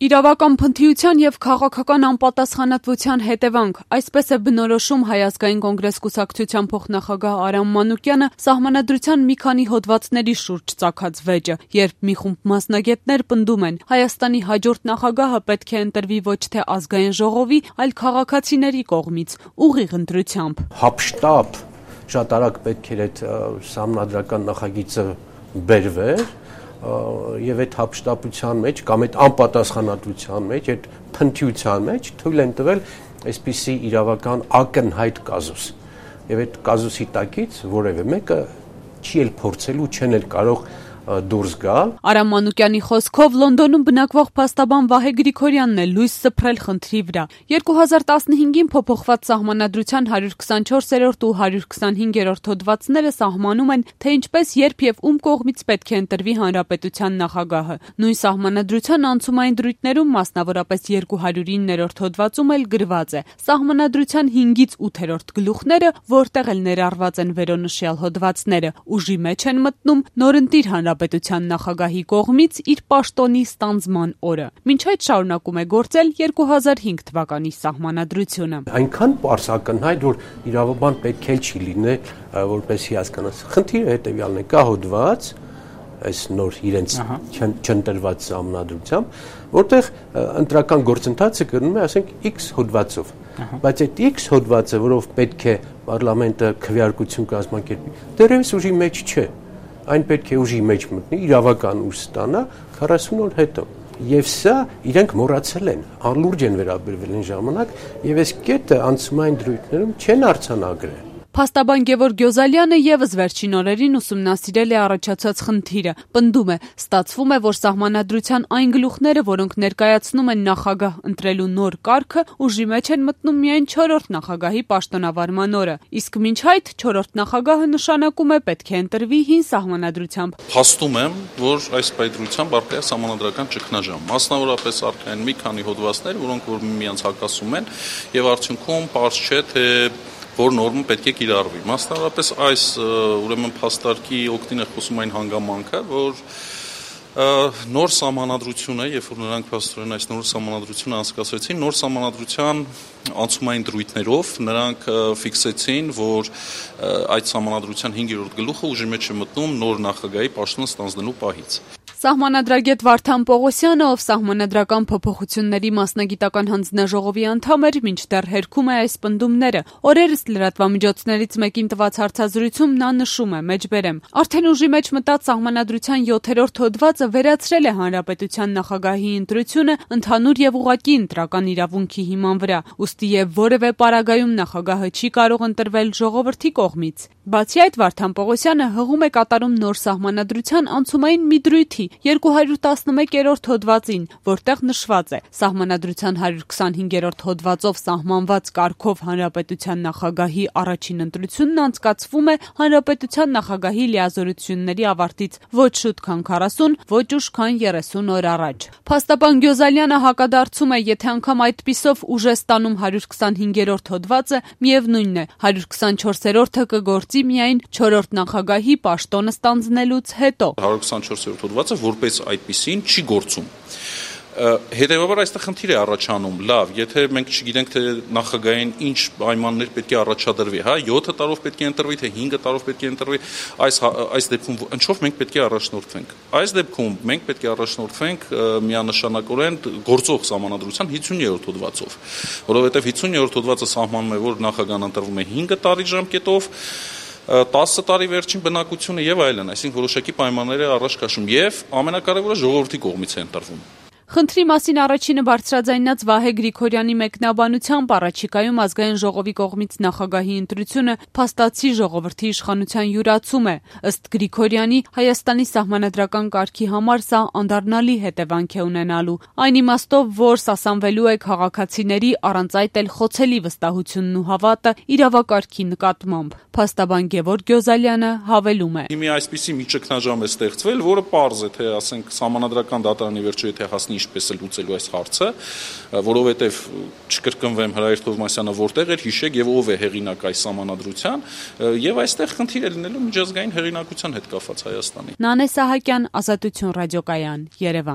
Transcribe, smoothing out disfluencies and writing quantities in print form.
Իրավական փնթիության եւ քաղաքական անպատասխանատվության հետևանք, այսպես է բնորոշում Հայ ազգային կոնգրես կուսակցության փոխնախագահ Արամ Մանուկյանը սահմանադրության մի քանի հոդվածների շուրջ ծագած վեճը, երբ մի խումբ մասնագետներ պնդում են Հայաստանի հաջորդ նախագահը պետք է ընտրվի ոչ թե ազգային ժողովի, այլ քաղաքացիների կողմից, ուղիղ ընտրությամբ։ Հապշտապ շատ արագ պետք էր այդ սահմանադրական նախագիծը բերվեր եւ այդ հապշտապության մեջ կամ այդ անպատասխանատվության մեջ, այդ փնթիության մեջ թույլ են տվել այսպիսի իրավական ակնհայտ կազուս։ Եվ այդ կազուսի տակից որևէ մեկը չի էլ փորձելու, չեն էլ կարող դուրս գալ։ Արամ Մանուկյանի խոսքով Լոնդոնում բնակվող փաստաբան Վահե Գրիգորյանն է լույս սփռել խնդրի վրա։ 2015-ին փոփոխված սահմանադրության 124-րդ ու 125-րդ հոդվածները սահմանում են, թե ինչպես, երբ եւ ում կողմից պետք է ընտրվի հանրապետության նախագահը։ Նույն սահմանադրության անցումային դրույթներում, մասնավորապես 209-րդ հոդվածում էլ գրված է. սահմանադրության 5-ից 8-րդ գլուխները, որտեղ էլ ներառված են վերոնշյալ հոդվածները, ուժի մեջ են մտնում նորընտիր հանրապետության նախագահի կողմից իր պաշտոնի ստանձնման օրը։ Մինչ այդ շարունակում է գործել 2005 թվականի սահմանադրությունը։ Այնքան պարզ ակնհայտ, որ իրավաբան պետք է չի լինել, որպեսզի հասկանաս։ Խնդիրը հետեւյալն է, կա հոդված, այս նոր իրենց չընտրված սահմանադրությամբ, որտեղ ընտրական գործընթացը կրնում է, ասենք, X հոդվածով։ Բայց այդ X հոդվածը, որով պետք է պարլամենտը քվեարկություն կազմակերպի, դեռևս ուժի մեջ չէ։ Այն պետք է ուժի մեջ մտնի, իրավական ուժ ստանա 40 օր հետո։ Եվ սա իրենք մոռացել են, անլուրջ են վերաբերվել այն ժամանակ, եւ այս կետը անցումային դրույթներում չեն արձանագրել։ Փաստաբան Գևորգ Գյոզալյանը եւս վերջին օրերին ուսումնասիրել է առաջացած խնդիրը։ Պնդում է, ստացվում է, որ սահմանադրության այն գլուխները, որոնք ներկայացնում են նախագահ ընտրելու նոր կարգը, ուժի մեջ են մտնում միայն 4-րդ նախագահի պաշտոնավարման օրը, իսկ մինչ այդ 4-րդ նախագահը նշանակում է պետք է ընտրվի հին սահմանադրությամբ։ Փաստում եմ, որ այս պայծրությամբ առկա է սահմանադրական ճգնաժամ։ Մասնավորապես առկա են մի քանի հոդվածներ, որոնք որ միմյանց հակասում են, եւ արդյունքում պարզ չէ, թե որ նորմը պետք է կիրառվի։ Մասնավորապես այս ուրեմն փաստարկի օգտին է խոսում այն հանգամանքը, որ նոր սահմանադրությունը, երբ որ նրանք փաստորեն այս նոր սահմանադրությունը անցկացրեցին, նոր սահմանադրության անցումային դրույթներով նրանք ֆիքսեցին, որ այդ սահմանադրության 5-րդ գլուխը ուժի մեջ է մտնում նոր նախագահի պաշտոնը ստանձնելու պահից։ Սահմանադրագետ Վարդան Պողոսյանը, ով սահմանադրական փոփոխությունների մասնագիտական հանձնաժողովի անդամ էր, մինչդեռ հերքում է այս պնդումները։ Օրերս լրատվամիջոցներից մեկին տված հարցազրույցում նա նշում է, մեջբերեմ. արդեն ուժի մեջ մտած սահմանադրության 7-րդ հոդվածը վերացրել է հանրապետության նախագահի ընտրությունը ընդհանուր եւ ուղղակի ընտրական իրավունքի հիման վրա, ուստի եւ որևէ պարագայում նախագահը չի կարող ընտրվել ժողովրդի կողմից։ Բացի այդ, Վարդան Պողոսյանը հղում է կատարում նոր սահմանադրության անցումային մի դրույթի 211-րդ հոդվածին, որտեղ նշված է. սահմանադրության 125-րդ հոդվածով սահմանված կարգով հանրապետության նախագահի առաջին ընտրությունն անցկացվում է հանրապետության նախագահի լիազորությունների ավարտից ոչ շուտ քան 40, ոչ ուշ քան 30 օր առաջ։ Փաստաբան Գյոզալյանը հակադարձում է, եթե անգամ այդպիսով ուժ է ստանում 125-րդ հոդվածը, միևնույնն է, 124-րդը կգործի միայն 4-րդ նախագահի պաշտոնը ստանձնելուց հետո։ 124-րդ հոդվածը որպես այդպիսին չի գործում։ Հետևաբար այստեղ խնդիր է առաջանում, լավ, եթե մենք չգիտենք, թե նախագահային ինչ պայմաններ պետք է առաջադրվի, 7 տարով պետք է ընտրվի, թե 5 տարով պետք է ընտրվի, այս դեպքում ինչով մենք պետք է առաջնորդվենք։ Այս դեպքում մենք պետք է առաջնորդվենք միանշանակորեն գործող սահմանադրության 50-րդ հոդվածով, որովհետև 50-րդ հոդվածը սահմանում է, որ նախագահն ընտրվում է 5 տարի ժամկետով, 10 տարի վերջին բնակությունը եւ այլն, այսինքն որոշակի պայմաններ է առաջ քաշում եւ ամենակարևորը ժողովրդի կողմից է ընտրվում։ Խնդրի մասին առաջինը բարձրաձայնած Վահե Գրիգորյանի մեկնաբանությամբ առաջիկայում ազգային ժողովի կողմից նախագահի ընտրությունը փաստացի ժողովրդի իշխանության յուրացում է։ Ըստ Գրիգորյանի, Հայաստանի սահմանադրական կարգի համար սա անդառնալի հետևանք է ունենալու։ Այն իմաստով, որ սասանվելու է քաղաքացիների առանց այդ էլ խոցելի վստահությունն ու հավատը իրավակարգի նկատմամբ։ Փաստաբան Գևորգ Գյոզալյանը հավելում է. Մի այսպիսի մի ճգնաժամ է ստեղծվել, որը պարզ է, թե ասենք սահմանադրական դատարանի վերջո եթե հասնի ինչպես է լուծելու այս հարցը, որովհետև չկրկնվեմ Հրայր Թովմասյանը որտեղ էր, հիշեք եւ ով է հեղինակ այս սահմանադրության, եւ այստեղ խնդիր է լինելու միջազգային հեղինակության հետ կապված Հայաստանի։ Նանե Սահակյան, Ազատություն ռադիոկայան, Երևան։